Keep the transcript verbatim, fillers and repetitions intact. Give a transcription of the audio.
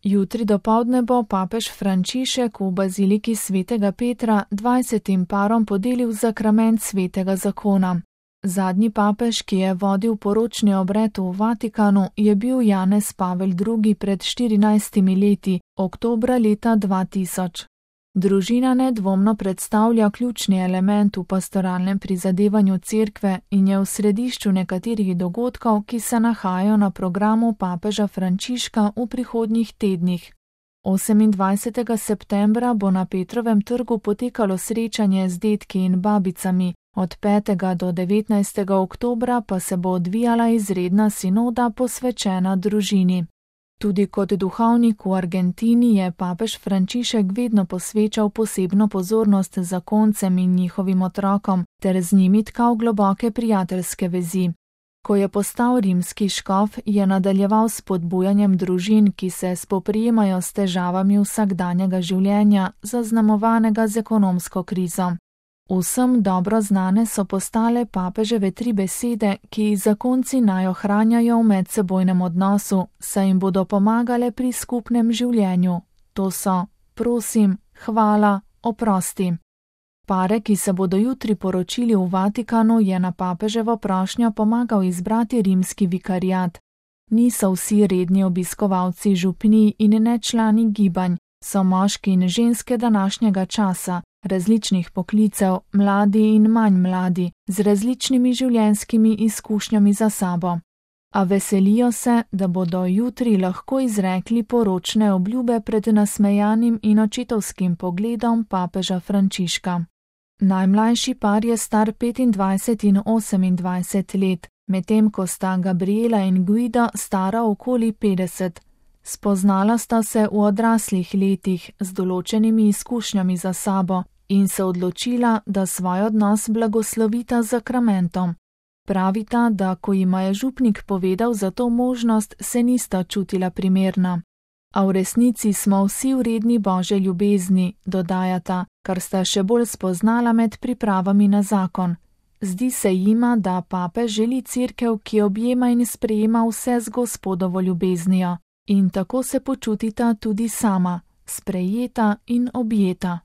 Jutri dopoldne bo papež Frančišek v baziliki svetega Petra dvajsetim parom podelil zakrament svetega zakona. Zadnji papež, ki je vodil poročni obred v Vatikanu, je bil Janez Pavel drugi pred štirinajstimi leti, oktobra leta dva tisoč. Družina nedvomno predstavlja ključni element v pastoralnem prizadevanju cerkve in je v središču nekaterih dogodkov, ki se nahajajo na programu papeža Frančiška v prihodnjih tednih. osemindvajsetega septembra bo na Petrovem trgu potekalo srečanje z dedki in babicami, od petega do devetnajstega oktobra pa se bo odvijala izredna sinoda posvečena družini. Tudi kot duhovnik v Argentini je papež Frančišek vedno posvečal posebno pozornost zakoncem in njihovim otrokom ter z njimi tkal globoke prijateljske vezi. Ko je postal rimski škof, je nadaljeval s spodbujanjem družin, ki se spoprijemajo s težavami vsakdanjega življenja, zaznamovanega z ekonomsko krizo. Vsem dobro znane so postale papeževe tri besede, ki jih zakonci naj ohranjajo v medsebojnem odnosu, saj jim bodo pomagale pri skupnem življenju. To so: prosim, hvala, oprosti. Pare, ki se bodo jutri poročili v Vatikanu, je na papeževo prošnjo pomagal izbrati rimski vikariat. Niso vsi redni obiskovalci župnij in ne člani gibanj, so moški in ženske današnjega časa, različnih poklicev, mladi in manj mladi, z različnimi življenjskimi izkušnjami za sabo. A veselijo se, da bodo jutri lahko izrekli poročne obljube pred nasmejanim in očetovskim pogledom papeža Frančiška. Najmlajši par je star petindvajset in osemindvajset let, medtem ko sta Gabriela in Guido stara okoli petdeset. Spoznala sta se v odraslih letih z določenimi izkušnjami za sabo in se odločila, da svoj odnos blagoslovita z zakramentom. Pravita, da ko jima je župnik povedal za to možnost, se nista čutila primerna. A v resnici smo vsi vredni Božje ljubezni, dodajata, kar sta še bolj spoznala med pripravami na zakon. Zdi se jima, da papež želi cerkev, ki objema in sprejema vse z Gospodovo ljubeznijo. In tako se počutita tudi sama, sprejeta in objeta.